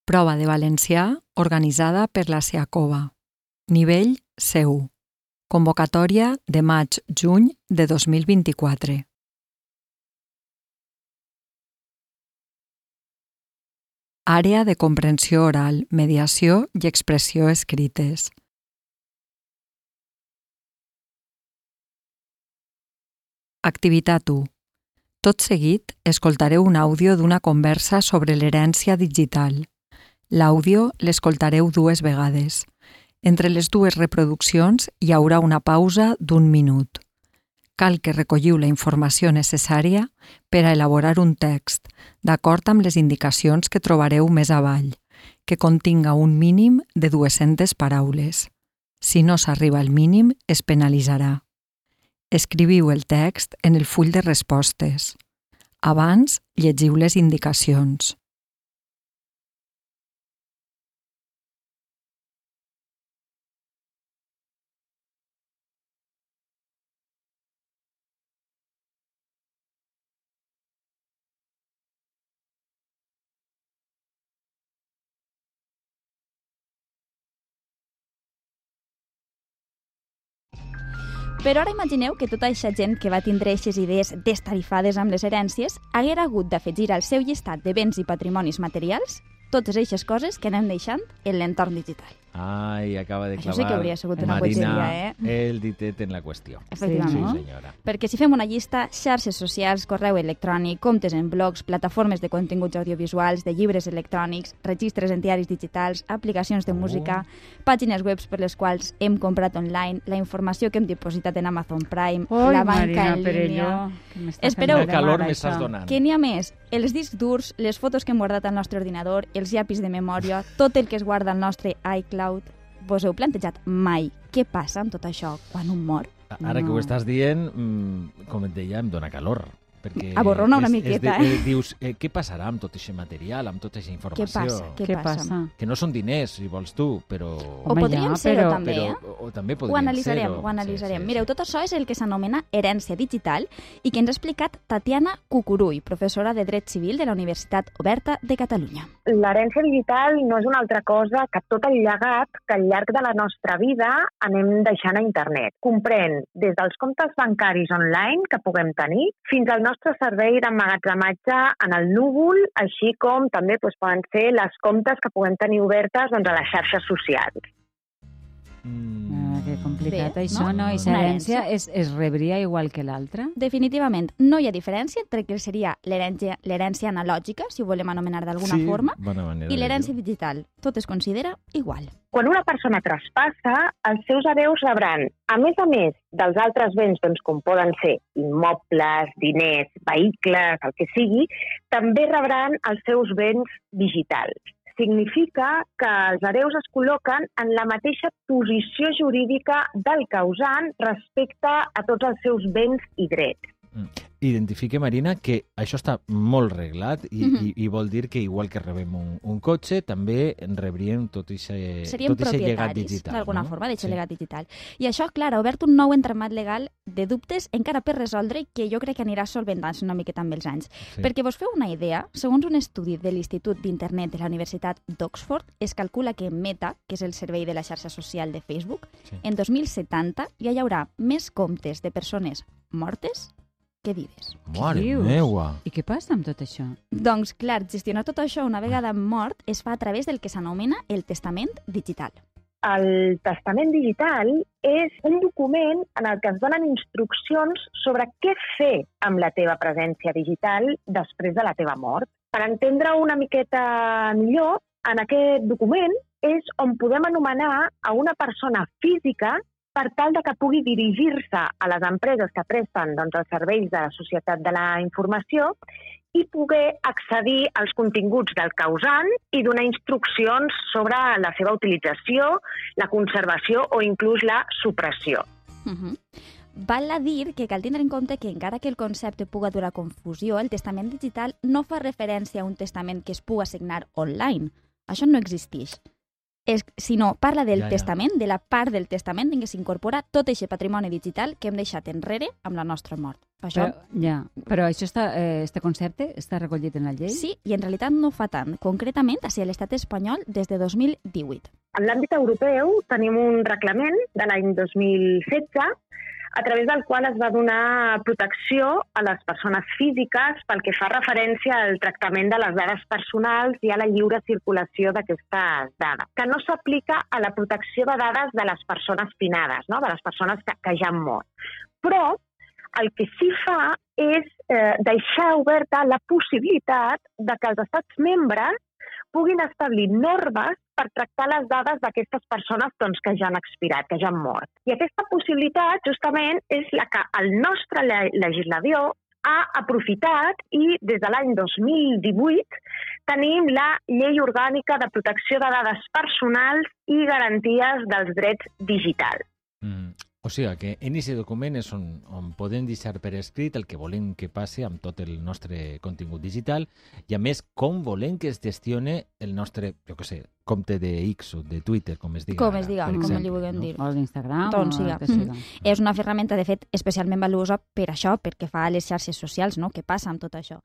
Prova de valencià organitzada per la SEACOVA. Nivell C1. Convocatòria de maig-juny de 2024. Àrea de comprensió oral, mediació i expressió escrites. Activitat 1. Tot seguit, escoltareu un àudio d'una conversa sobre l'herència digital. L'àudio l'escoltareu 2 vegades. Entre les 2 reproduccions hi haurà una pausa d'1 minut. Cal que recolliu la informació necessària per a elaborar un text, d'acord amb les indicacions que trobareu més avall, que continga un mínim de 200 paraules. Si no s'arriba al mínim, es penalitzarà. Escriviu el text en el full de respostes. Abans, llegiu les indicacions. Però ara imagineu que tota aquesta gent que va tindre aquestes idees destarifades amb les herències haguera hagut d'afegir al seu llistat de béns i patrimonis materials totes aquestes coses que anem deixant en l'entorn digital. Ai, acaba de clavar Això sí que hauria sigut una Marina bogeria, el ditet en la qüestió. Efectivament. Sí, senyora. Perquè si fem una llista, xarxes socials, correu electrònic, comptes en blogs, plataformes de continguts audiovisuals, de llibres electrònics, registres en diaris digitals, aplicacions de música, pàgines web per les quals hem comprat online, la informació que hem dipositat en Amazon Prime, la banca en línia... Espereu, quina calor m'estàs donant. Que n'hi ha més. Els discs durs, les fotos que hem guardat al nostre ordinador, els llapis de memòria, tot el que es guarda al nostre iCloud. Vos heu plantejat mai què passa amb tot això quan un mor? Ara que ho estàs dient, com et deia, em dona calor. Perquè aborrona una miqueta, dius, què passarà amb tot aquest material, amb tota aquesta informació? Què passa? Que no són diners, si vols tu, però... O podríem ser-ho també, O també Ho podríem analitzarem, ser-ho. ho analitzarem. Sí. Mireu, tot això és el que s'anomena herència digital i que ens ha explicat Tatiana Cucurull, professora de Dret Civil de la Universitat Oberta de Catalunya. L'herència digital no és una altra cosa que tot el llegat que al llarg de la nostra vida anem deixant a internet. Comprèn des dels comptes bancaris online que puguem tenir fins al nostre servei d'emmagatzematge en el núvol, així com també poden ser les comptes que puguem tenir obertes a les xarxes socials. Que complicat Bé, això, no? I Una l'herència es rebria igual que l'altra? Definitivament, no hi ha diferència entre el que seria l'herència analògica, si ho volem anomenar d'alguna forma, bona manera i de l'herència dir-ho. digital. Tot es considera igual. Quan una persona traspassa, els seus hereus rebran, a més dels altres béns, com poden ser immobles, diners, vehicles, el que sigui, també rebran els seus béns digitals. Significa que els hereus es col·loquen en la mateixa posició jurídica del causant respecte a tots els seus béns i drets. Identifique, Marina, que això està molt reglat i vol dir que igual que rebem un cotxe, també en rebríem tot aquest Seríem llegat propietaris, digital. d'alguna no? forma, d'aquest llegat digital. I això, clar, ha obert un nou entramat legal de dubtes encara per resoldre i que jo crec que anirà solventant-se una miqueta amb els anys. Sí. Perquè vos feu una idea, segons un estudi de l'Institut d'Internet de la Universitat d'Oxford, es calcula que Meta, que és el servei de la xarxa social de Facebook, en 2070 ja hi haurà més comptes de persones mortes que vives. Mare dius? meua! I què passa amb tot això? Doncs, clar, gestionar tot això una vegada mort es fa a través del que s'anomena el testament digital. El testament digital és un document en el que es donen instruccions sobre què fer amb la teva presència digital després de la teva mort. Per entendre una miqueta millor, en aquest document és on podem anomenar a una persona física per tal de que pugui dirigir-se a les empreses que presten els serveis de la societat de la informació i poder accedir als continguts del causant i donar instruccions sobre la seva utilització, la conservació o inclús la supressió. Val a dir que cal tindre en compte que encara que el concepte puga durar confusió, el testament digital no fa referència a un testament que es puga signar online. Això no existeix. Sinó parla del testament, de la part del testament en què s'incorpora tot aquest patrimoni digital que hem deixat enrere amb la nostra mort. Això, Però això este concepte està recollit en la llei? sí, i en realitat no fa tant. Concretament, a l'estat espanyol des de 2018. En l'àmbit europeu tenim un reglament de l'any 2016 a través del qual es va donar protecció a les persones físiques pel que fa referència al tractament de les dades personals i a la lliure circulació d'aquestes dades, que no s'aplica a la protecció de dades de les persones finades, no? De les persones que ja han mort. Però el que sí fa és deixar oberta la possibilitat de que els estats membres puguin establir normes per tractar les dades d'aquestes persones que ja han expirat, que ja han mort. I aquesta possibilitat, justament, és la que el nostre legislador ha aprofitat i des de l'any 2018 tenim la Llei Orgànica de Protecció de Dades Personals i Garanties dels Drets Digitals. O sigui que en aquest document és on podem deixar per escrit el que volem que passi amb tot el nostre contingut digital i, a més, com volem que es gestione el nostre, jo què sé, compte de X o de Twitter, com es diga. Com es diga, com li vulguem dir. O d'Instagram, Doncs, o el que siga. És una ferramenta, de fet, especialment valuosa per això, perquè fa a les xarxes socials, no? Què passa amb tot això?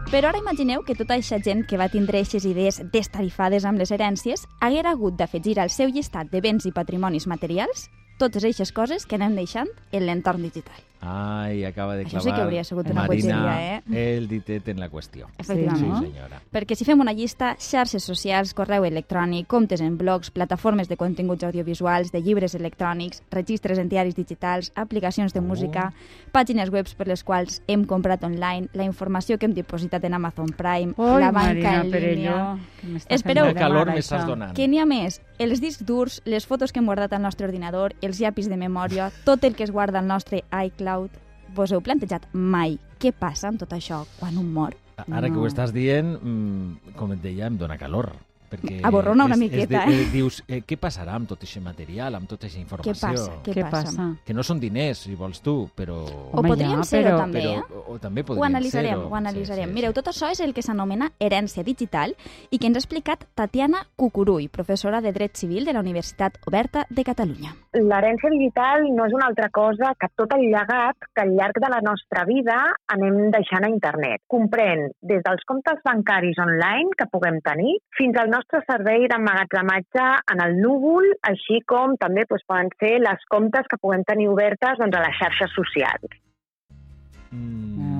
Però ara imagineu que tota aquesta gent que va tindre aquestes idees destarifades amb les herències haguera hagut d'afegir al seu llistat de béns i patrimonis materials totes aquestes coses que anem deixant en l'entorn digital. Ai, acaba de clavar Això sí que hauria sigut una Marina bogeria, el ditet en la qüestió. Efectivament. Sí, senyora. Perquè si fem una llista, xarxes socials, correu electrònic, comptes en blogs, plataformes de continguts audiovisuals, de llibres electrònics, registres en diaris digitals, aplicacions de música, pàgines web per les quals hem comprat online, la informació que hem dipositat en Amazon Prime, la banca en línia... Espereu, quina calor m'estàs donant. Que n'hi ha més? Els discs durs, les fotos que hem guardat al nostre ordinador, els llapis de memòria, tot el que es guarda al nostre iCloud. Vos heu plantejat mai què passa amb tot això quan un mor? Ara que ho estàs dient, com et deia, em dona calor. Perquè aborrona una miqueta, dius, què passarà amb tot aquest material, amb tota aquesta informació? Què passa? Que no són diners, si vols tu, però... O podríem ser-ho també, O també Ho analitzarem. Mireu, tot això és el que s'anomena herència digital i que ens ha explicat Tatiana Cucurull, professora de Dret Civil de la Universitat Oberta de Catalunya. L'herència digital no és una altra cosa que tot el llegat que al llarg de la nostra vida anem deixant a internet. Comprèn des dels comptes bancaris online que puguem tenir fins al nostre servei d'emmagatzematge en el núvol, així com també poden ser les comptes que puguem tenir obertes a les xarxes socials.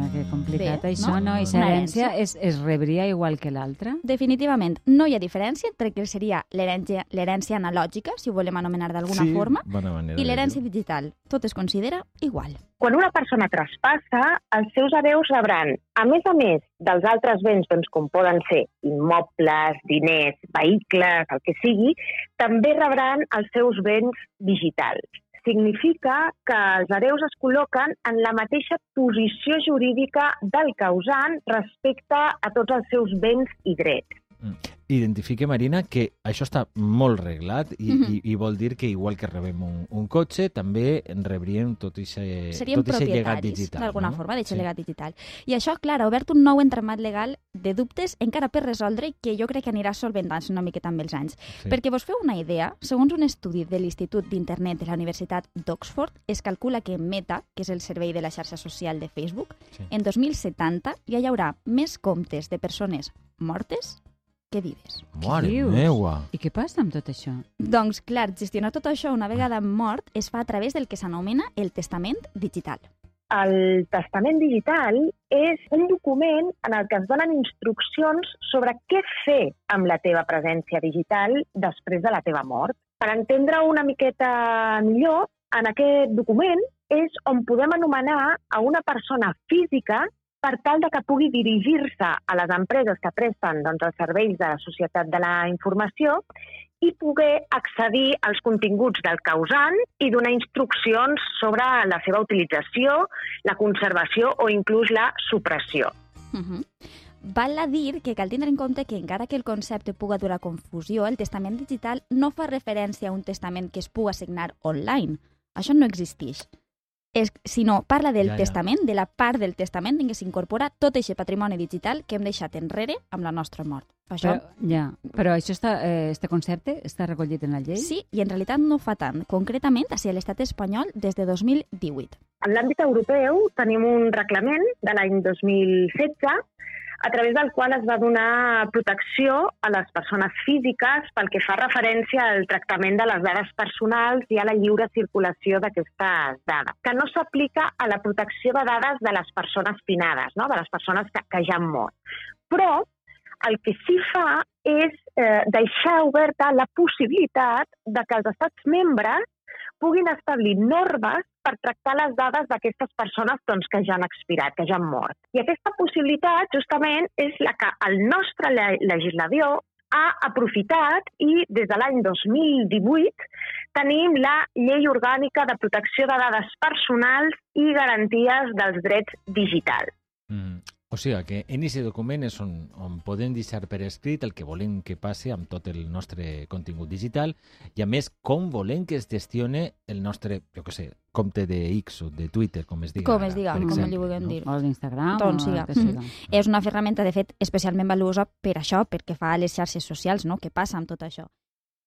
Que complicat Bé, això, no? I l'herència es rebria igual que l'altra? Definitivament, no hi ha diferència entre el que seria l'herència analògica, si ho volem anomenar d'alguna forma, i l'herència digital. Tot es considera igual. Quan una persona traspassa, els seus hereus rebran, a més dels altres béns, com poden ser immobles, diners, vehicles, el que sigui, també rebran els seus béns digitals. Significa que els hereus es col·loquen en la mateixa posició jurídica del causant respecte a tots els seus béns i drets. Identifique, Marina, que això està molt reglat i vol dir que igual que rebem un cotxe, també en rebríem tot aquest llegat digital. D'alguna forma, d'aquest llegat digital. I això, clar, ha obert un nou entramat legal de dubtes encara per resoldre que jo crec que anirà solventant-se una miqueta amb els anys. Perquè vos feu una idea, segons un estudi de l'Institut d'Internet de la Universitat d'Oxford, es calcula que Meta, que és el servei de la xarxa social de Facebook, en 2070 ja hi haurà més comptes de persones mortes que vives. Mare meua! I què passa amb tot això? Doncs, clar, gestionar tot això una vegada mort es fa a través del que s'anomena el testament digital. el testament digital és un document en el que es donen instruccions sobre què fer amb la teva presència digital després de la teva mort. Per entendre una miqueta millor, en aquest document és on podem anomenar a una persona física per tal de que pugui dirigir-se a les empreses que presten els serveis de la societat de la informació i poder accedir als continguts del causant i donar instruccions sobre la seva utilització, la conservació o inclús la supressió. Val a dir que cal tindre en compte que encara que el concepte puga durar confusió, el testament digital no fa referència a un testament que es puga signar online. Això no existeix. Sinó parla del testament, de la part del testament en què s'incorpora tot aquest patrimoni digital que hem deixat enrere amb la nostra mort. Això... Però això este concepte està recollit en la llei? Sí, i en realitat no fa tant. Concretament, a l'estat espanyol des de 2018. En l'àmbit europeu tenim un reglament de l'any 2016 a través del qual es va donar protecció a les persones físiques pel que fa referència al tractament de les dades personals i a la lliure circulació d'aquestes dades, que no s'aplica a la protecció de dades de les persones finades, no? De les persones que ja han mort. Però el que sí fa és deixar oberta la possibilitat de que els estats membres puguin establir normes per tractar les dades d'aquestes persones que ja han expirat, que ja han mort. I aquesta possibilitat, justament, és la que el nostre legislador ha aprofitat i des de l'any 2018 tenim la Llei Orgànica de Protecció de Dades Personals i Garanties dels Drets Digitals. O sigui que en aquest document és on podem deixar per escrit el que volem que passi amb tot el nostre contingut digital i, a més, com volem que es gestione el nostre, compte de X o de Twitter, com es diga. Com es diga, com li vulguem dir. O d'Instagram. Doncs sí. És una ferramenta, de fet, especialment valuosa per això, perquè fa a les xarxes socials, no? Què passa amb tot això?